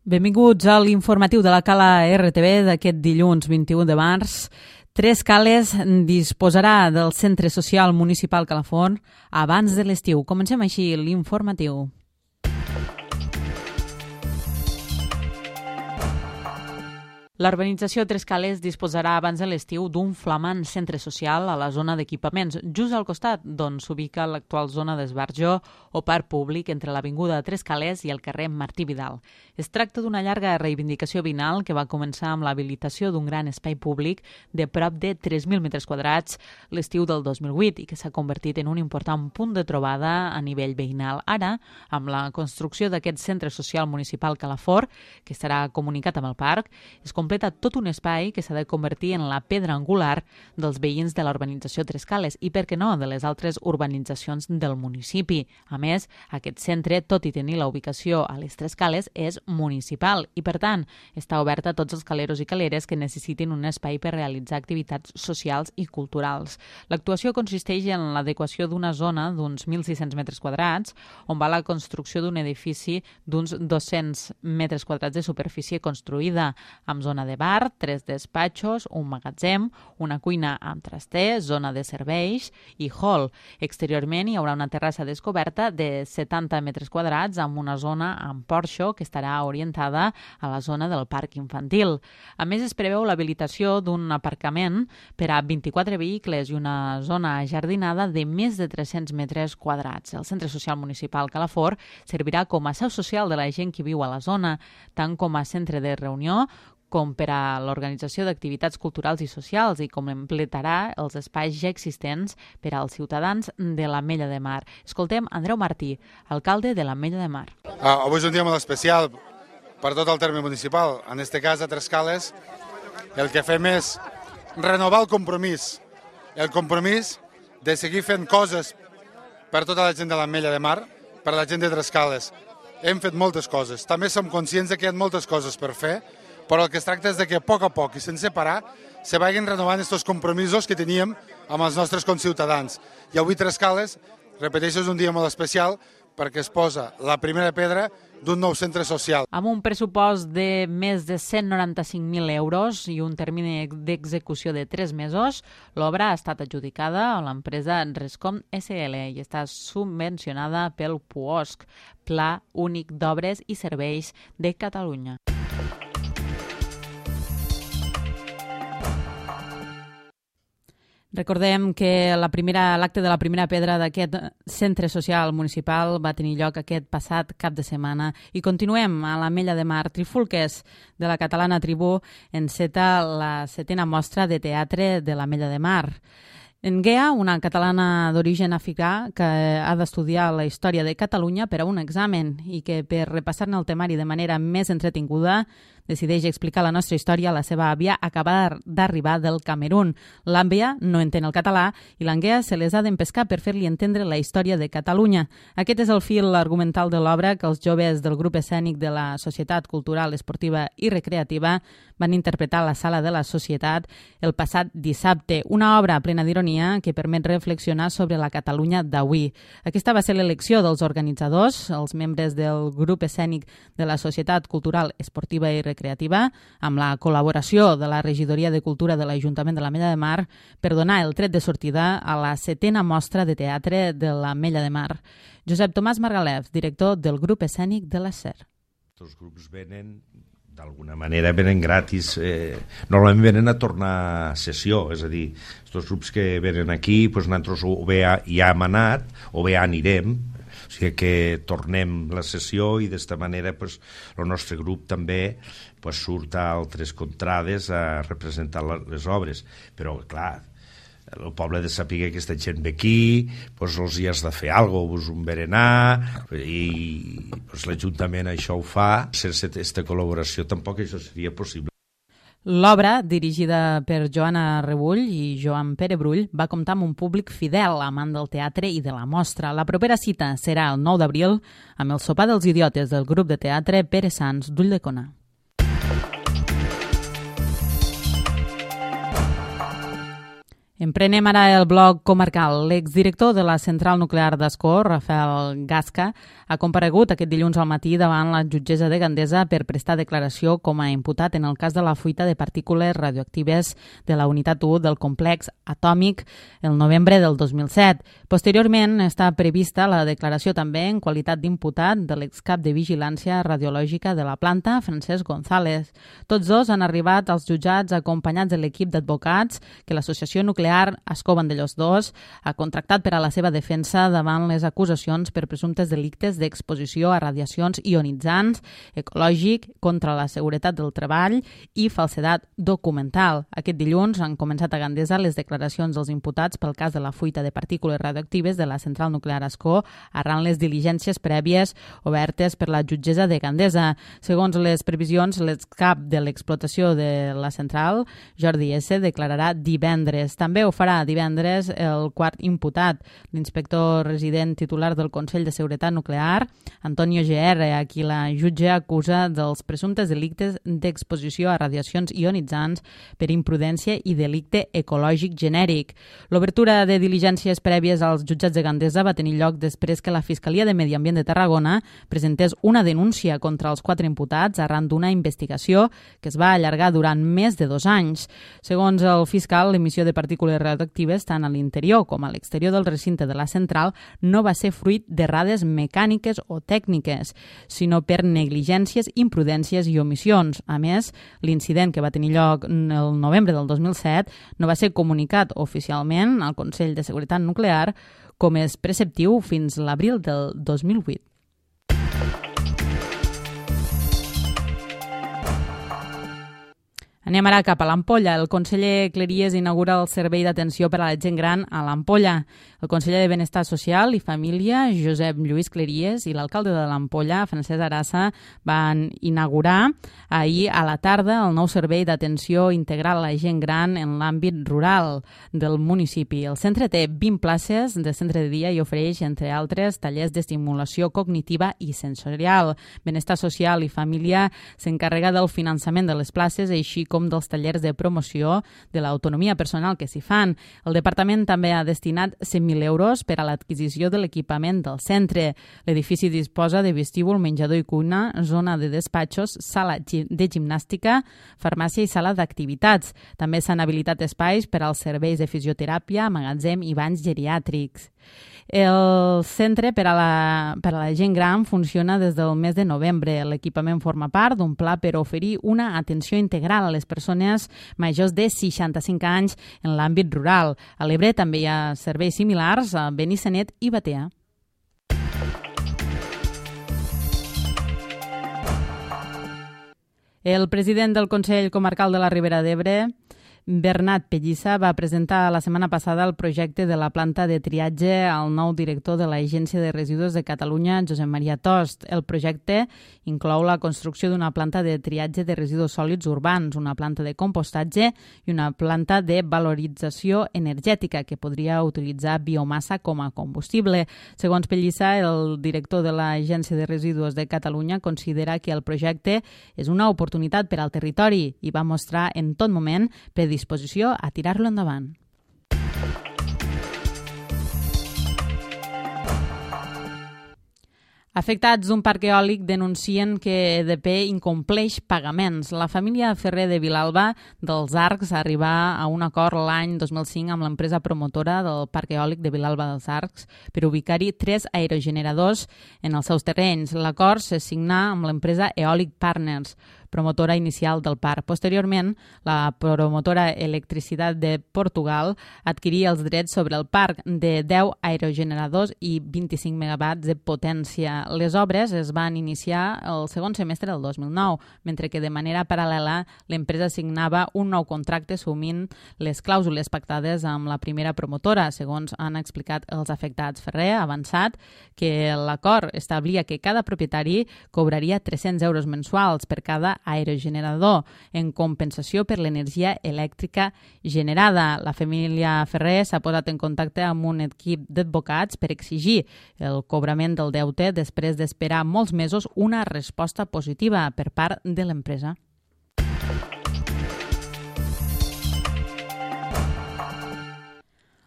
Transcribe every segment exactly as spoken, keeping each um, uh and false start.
Benvinguts a l'informatiu de la Cala R T V d'aquest dilluns vint-i-u de març. Tres Cales disposarà del Centre Social Municipal Calafort abans de l'estiu. Comencem així l'informatiu. La urbanització Tres Cales disposarà abans de l'estiu d'un flamant centre social a la zona d'equipaments, just al costat d'on s'ubica l'actual zona d'esbarjo o parc públic entre l'avinguda Tres Cales i el carrer Martí Vidal. Es tracta d'una llarga reivindicació vinal que va començar amb l'habilitació d'un gran espai públic de prop de tres mil metres quadrats l'estiu del dos mil vuit i que s'ha convertit en un important punt de trobada a nivell veïnal. Ara, amb la construcció d'aquest centre social municipal Calafort, que estarà comunicat amb el parc, es completa tot un espai que s'ha de convertir en la pedra angular dels veïns de la urbanització Tres Cales i, per què no, de les altres urbanitzacions del municipi. A més, aquest centre, tot i tenir la ubicació a les Tres Cales, és municipal i, per tant, està obert a tots els caleros i caleres que necessitin un espai per realitzar activitats socials i culturals. L'actuació consisteix en l'adequació d'una zona d'uns mil sis-cents metres quadrats, on va la construcció d'un edifici d'uns dos-cents metres quadrats de superfície construïda, amb zona de bar, tres despatxos, un magatzem, una cuina amb traster, zona de serveis i hall. Exteriorment hi haurà una terrassa descoberta de setanta metres quadrats amb una zona amb porxo que estarà orientada a la zona del parc infantil. A més, es preveu l'habilitació d'un aparcament per a vint-i-quatre vehicles i una zona ajardinada de més de tres-cents metres quadrats. El Centre Social Municipal Calafort servirà com a seu social de la gent que viu a la zona, tant com a centre de reunió com per a l'organització d'activitats culturals i socials i completarà els espais ja existents per als ciutadans de l'Ametlla de Mar. Escoltem Andreu Martí, alcalde de l'Ametlla de Mar. Ah, avui és un dia molt especial per tot el terme municipal. En aquest cas, a Tres Cales, el que fem és renovar el compromís. El compromís de seguir fent coses per tota la gent de l'Ametlla de Mar, per a la gent de Tres Cales. Hem fet moltes coses. També som conscients que hi ha moltes coses per fer, però el que es tracta és de que a poc a poc i sense parar se vagin renovant aquests compromisos que teníem amb els nostres conciutadans. I avui Tres Cales, repeteixo, és un dia molt especial perquè es posa la primera pedra d'un nou centre social. Amb un pressupost de més de cent noranta-cinc mil euros i un termini d'execució de tres mesos, l'obra ha estat adjudicada a l'empresa Rescom S L i està subvencionada pel P U O S C, Pla Únic d'Obres i Serveis de Catalunya. Recordem que la primera, l'acte de la primera pedra d'aquest centre social municipal va tenir lloc aquest passat cap de setmana i continuem a l'Ametlla de Mar. Trifulques de la catalana Tribú enceta la setena mostra de teatre de l'Ametlla de Mar. Nguea, una catalana d'origen africà que ha d'estudiar la història de Catalunya per a un examen i que per repassar-ne el temari de manera més entretinguda decideix explicar la nostra història a la seva àvia acabada d'arribar del Camerun. L'àvia no entén el català i l'Anguea se les ha d'empescar per fer-li entendre la història de Catalunya. Aquest és el fil argumental de l'obra que els joves del grup escènic de la Societat Cultural, Esportiva i Recreativa van interpretar a la Sala de la Societat el passat dissabte. Una obra plena d'ironia que permet reflexionar sobre la Catalunya d'avui. Aquesta va ser l'elecció dels organitzadors, els membres del grup escènic de la Societat Cultural, Esportiva i Recreativa, Creativa, amb la col·laboració de la Regidoria de Cultura de l'Ajuntament de l'Ametlla de Mar per donar el tret de sortida a la setena mostra de teatre de l'Ametlla de Mar. Josep Tomàs Margalef, director del grup escènic de la S E R. Els grups venen, d'alguna manera, venen gratis. Eh, normalment venen a tornar a sessió, és a dir, els grups que venen aquí, doncs nosaltres o bé ja hem anat o bé ja anirem, o sigui que tornem la sessió i d'esta manera pues, el nostre grup també pues, surt a altres contrades a representar les obres. Però, clar, el poble ha de saber que aquesta gent ve aquí, pues, els hi has de fer alguna cosa, un berenar, i pues, l'Ajuntament això ho fa. Sense aquesta col·laboració tampoc això seria possible. L'obra, dirigida per Joana Rebull i Joan Pere Brull, va comptar amb un públic fidel, amant del teatre i de la mostra. La propera cita serà el nou d'abril amb el sopar dels idiotes del grup de teatre Pere Sans d'Ulldecona. Emprenem ara el bloc comarcal. L'exdirector de la central nuclear d'Ascó, Rafael Gasca, ha comparegut aquest dilluns al matí davant la jutgessa de Gandesa per prestar declaració com a imputat en el cas de la fuita de partícules radioactives de la unitat u del complex atòmic el novembre del dos mil set. Posteriorment està prevista la declaració també en qualitat d'imputat de l'excap de vigilància radiològica de la planta, Francesc González. Tots dos han arribat als jutjats acompanyats de l'equip d'advocats que l'Associació Nuclear Ascó Vandellòs dos ha contractat per a la seva defensa davant les acusacions per presumptes delictes d'exposició a radiacions ionitzants, ecològic, contra la seguretat del treball i falsedat documental. Aquest dilluns han començat a Gandesa les declaracions dels imputats pel cas de la fuita de partícules radioactives de la central nuclear Ascó arran les diligències prèvies obertes per la jutgessa de Gandesa. Segons les previsions, l'excap de l'explotació de la central, Jordi S., declararà divendres. També ho farà divendres el quart imputat, l'inspector resident titular del Consell de Seguretat Nuclear, Antonio G R, a qui la jutge acusa dels presumptes delictes d'exposició a radiacions ionitzants per imprudència i delicte ecològic genèric. L'obertura de diligències prèvies als jutjats de Gandesa va tenir lloc després que la Fiscalia de Medi Ambient de Tarragona presentés una denúncia contra els quatre imputats arran d'una investigació que es va allargar durant més de dos anys. Segons el fiscal, l'emissió de partícules radioactives tant a l'interior com a l'exterior del recinte de la central no va ser fruit d'errades mecàniques o tècniques, sinó per negligències, imprudències i omissions. A més, l'incident que va tenir lloc el novembre del dos mil set no va ser comunicat oficialment al Consell de Seguretat Nuclear com és preceptiu fins l'abril del dos mil vuit. Anem ara cap a l'Ampolla. El conseller Cleries inaugura el servei d'atenció per a la gent gran a l'Ampolla. El conseller de Benestar Social i Família, Josep Lluís Cleries, i l'alcalde de l'Ampolla, Francesc Arassa, van inaugurar ahir a la tarda el nou servei d'atenció integral a la gent gran en l'àmbit rural del municipi. El centre té vint places de centre de dia i ofereix, entre altres, tallers d'estimulació cognitiva i sensorial. Benestar Social i Família s'encarrega del finançament de les places, així com dels tallers de promoció de l'autonomia personal que s'hi fan. El departament també ha destinat cent mil euros per a l'adquisició de l'equipament del centre. L'edifici disposa de vestíbul, menjador i cuina, zona de despatxos, sala de gimnàstica, farmàcia i sala d'activitats. També s'han habilitat espais per als serveis de fisioteràpia, magatzem i banys geriàtrics. El centre per a, la, per a la gent gran funciona des del mes de novembre. L'equipament forma part d'un pla per oferir una atenció integral a les persones majors de seixanta-cinc anys en l'àmbit rural. A l'Ebre també hi ha serveis similars a Benissanet i Batea. El president del Consell Comarcal de la Ribera d'Ebre, Bernat Pellissa, va presentar la setmana passada el projecte de la planta de triatge al nou director de l'Agència de Residus de Catalunya, Josep Maria Tost. El projecte inclou la construcció d'una planta de triatge de residus sòlids urbans, una planta de compostatge i una planta de valorització energètica que podria utilitzar biomassa com a combustible. Segons Pellissa, el director de l'Agència de Residus de Catalunya considera que el projecte és una oportunitat per al territori i va mostrar en tot moment predisposició a tirar-lo endavant. Afectats d'un parc eòlic denuncien que E D P incompleix pagaments. La família Ferrer de Vilalba dels Arcs arribà a un acord l'any dos mil cinc amb l'empresa promotora del parc eòlic de Vilalba dels Arcs per ubicar-hi tres aerogeneradors en els seus terrenys. L'acord se signà amb l'empresa Eòlic Partners, promotora inicial del parc. Posteriorment, la promotora Electricitat de Portugal adquiria els drets sobre el parc de deu aerogeneradors i vint-i-cinc megawatts de potència. Les obres es van iniciar el segon semestre del dos mil nou, mentre que de manera paral·lela l'empresa signava un nou contracte assumint les clàusules pactades amb la primera promotora, segons han explicat els afectats. Ferrer ha avançat que l'acord establia que cada propietari cobraria tres-cents euros mensuals per cada aerogenerador en compensació per l'energia elèctrica generada. La família Ferrer s'ha posat en contacte amb un equip d'advocats per exigir el cobrament del deute després d'esperar molts mesos una resposta positiva per part de l'empresa.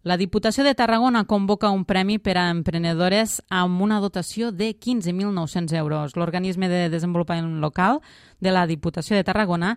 La Diputació de Tarragona convoca un premi per a emprenedores amb una dotació de quinze mil nou-cents euros. L'Organisme de Desenvolupament Local de la Diputació de Tarragona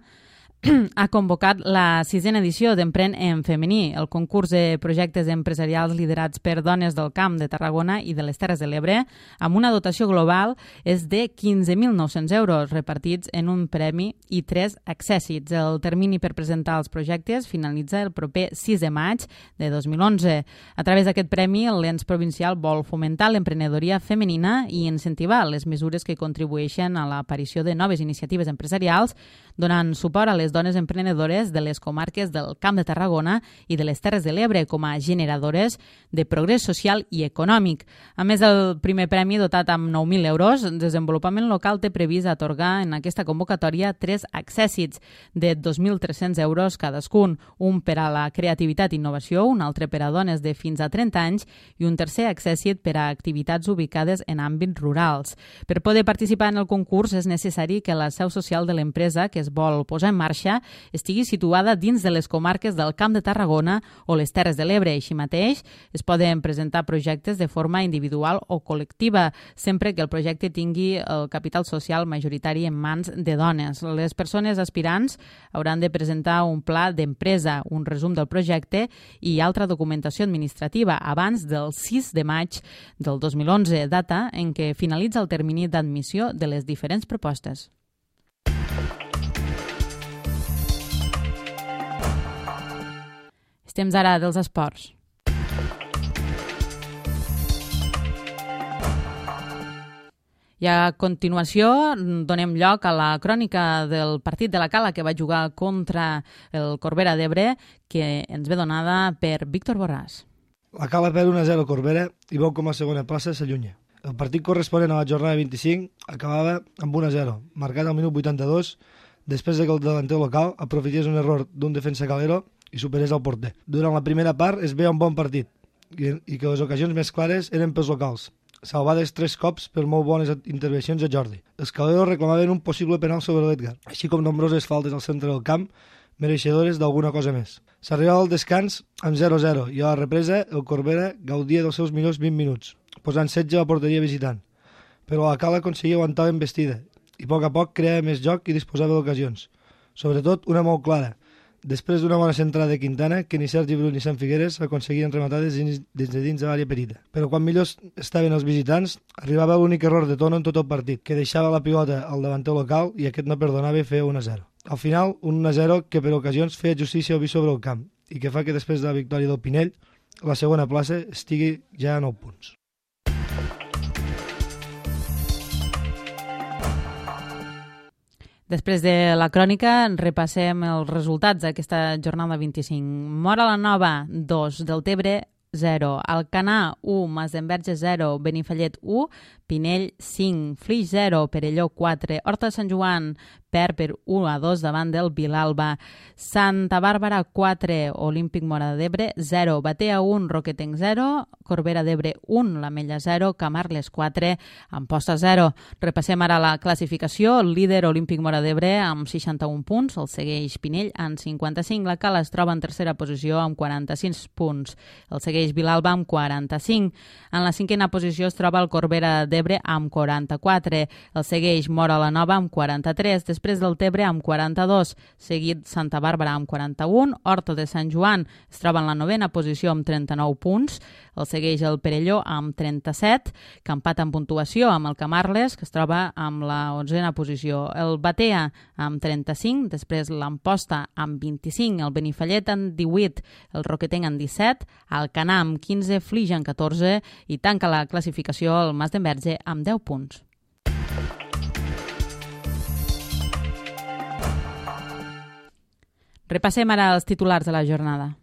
ha convocat la sisena edició d'Empren en femení, el concurs de projectes empresarials liderats per dones del Camp de Tarragona i de les Terres de l'Ebre, amb una dotació global és de quinze mil nou-cents euros, repartits en un premi i tres accèssits. El termini per presentar els projectes finalitza el proper sis de maig de dos mil onze. A través d'aquest premi, l'ens provincial vol fomentar l'emprenedoria femenina i incentivar les mesures que contribueixen a l'aparició de noves iniciatives empresarials, donant suport a les dones emprenedores de les comarques del Camp de Tarragona i de les Terres de l'Ebre com a generadores de progrés social i econòmic. A més del primer premi dotat amb nou mil euros, Desenvolupament Local té previst atorgar en aquesta convocatòria tres accèssits de dos mil tres-cents euros cadascun, un per a la creativitat i innovació, un altre per a dones de fins a trenta anys i un tercer accèssit per a activitats ubicades en àmbits rurals. Per poder participar en el concurs és necessari que la seu social de l'empresa que es vol posar en marxa estigui situada dins de les comarques del Camp de Tarragona o les Terres de l'Ebre. Així mateix, es poden presentar projectes de forma individual o col·lectiva, sempre que el projecte tingui el capital social majoritari en mans de dones. Les persones aspirants hauran de presentar un pla d'empresa, un resum del projecte i altra documentació administrativa abans del sis de maig del dos mil onze, data en què finalitza el termini d'admissió de les diferents propostes. És temps ara dels esports. I a continuació donem lloc a la crònica del partit de la Cala que va jugar contra el Corbera d'Ebre, que ens ve donada per Víctor Borràs. La Cala perd un a zero a Corbera i veu com a segona plaça s'allunya. El partit corresponent a la jornada vint-i-cinc acabava amb un a zero, marcat al minut vuitanta-dos, després que el delanter local aprofités un error d'un defensa calero i superés el porter. Durant la primera part es veia un bon partit i, i que les ocasions més clares eren pels locals, salvades tres cops per molt bones intervencions a Jordi. Els caleros reclamaven un possible penal sobre l'Edgar, així com nombroses faltes al centre del camp, mereixedores d'alguna cosa més. S'arribava al descans amb zero a zero i a la represa el Corbera gaudia dels seus millors vint minuts, posant setge a la porteria visitant. Però la Cala aconseguia aguantar l'embestida i a poc a poc creava més joc i disposava d'ocasions. Sobretot una molt clara, després d'una bona centrada de Quintana, que ni Sergi Bru ni Sant Figueres aconseguien rematar des de dins de l'àrea petita. Però quan millors estaven els visitants, arribava l'únic error de Tono en tot el partit, que deixava la pilota al davanter local i aquest no perdonava i feia un a zero. Al final, un a zero que per ocasions feia justícia al vi sobre el camp i que fa que després de la victòria del Pinell, la segona plaça estigui ja a nou punts. Després de la crònica, repassem els resultats d'aquesta jornada vint-i-cinc. Móra la Nova, dos, Deltebre, zero, Alcanar, u, Masdenverge, zero, Benifallet, u, Pinell, cinc, Flix, zero, Perelló, quatre, Horta de Sant Joan, perd per u a dos davant del Vilalba. Santa Bàrbara, quatre, Olímpic Móra d'Ebre, zero, Batea, un, Roquetenc, zero, Corbera d'Ebre, un, l'Ametlla, zero, Camarles, quatre, Amposta, zero. Repassem ara la classificació. El líder Olímpic Móra d'Ebre amb seixanta-un punts, el segueix Pinell amb cinquanta-cinc, la Cala es troba en tercera posició amb quaranta-cinc punts, el segueix Vilalba amb quaranta-cinc. En la cinquena posició es troba el Corbera d'Ebre amb quaranta-quatre, el segueix Móra la Nova amb quaranta-tres, després del Tebre amb quaranta-dos, seguit Santa Bàrbara amb quaranta-un, Horta de Sant Joan es troba en la novena posició amb trenta-nou punts, el segueix el Perelló amb trenta-set, que empat en puntuació amb el Camarles, que es troba amb la onzena posició, el Batea amb trenta-cinc, després l'Amposta amb vint-i-cinc, el Benifallet amb divuit, el Roquetenc amb disset, Alcanar amb quinze, Flix amb catorze i tanca la classificació el Masdenverge amb deu punts. Repassem ara els titulars de la jornada.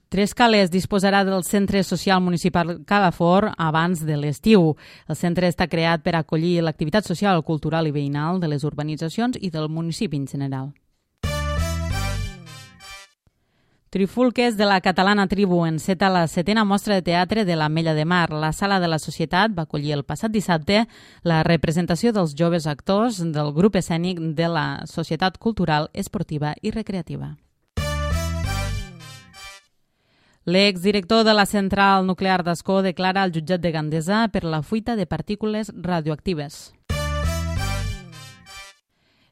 Trescales disposarà del Centre Social Municipal Calafort abans de l'estiu. El centre està creat per acollir l'activitat social, cultural i veïnal de les urbanitzacions i del municipi en general. Trifulques de la catalana Tribu enceta la setena mostra de teatre de l'Ametlla de Mar. La Sala de la Societat va acollir el passat dissabte la representació dels joves actors del grup escènic de la Societat Cultural, Esportiva i Recreativa. L'exdirector de la central nuclear d'Ascó declara al jutjat de Gandesa per la fuita de partícules radioactives.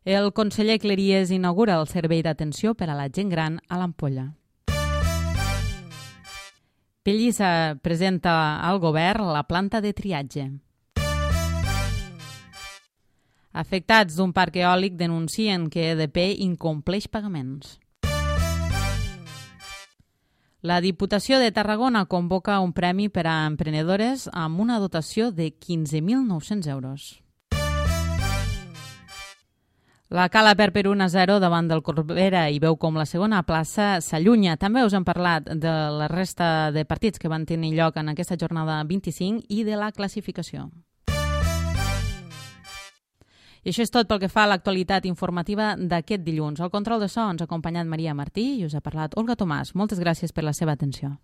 El conseller Cleries inaugura el servei d'atenció per a la gent gran a l'Ampolla. Pellissa presenta al govern la planta de triatge. Afectats d'un parc eòlic denuncien que E D P incompleix pagaments. La Diputació de Tarragona convoca un premi per a emprenedores amb una dotació de quinze mil nou-cents euros. La Cala Perper un a zero davant del Corbera i veu com la segona plaça s'allunya. També us hem parlat de la resta de partits que van tenir lloc en aquesta jornada vint-i-cinc i de la classificació. I això és tot pel que fa a l'actualitat informativa d'aquest dilluns. Al control de so ens ha acompanyat Maria Martí i us ha parlat Olga Tomàs. Moltes gràcies per la seva atenció.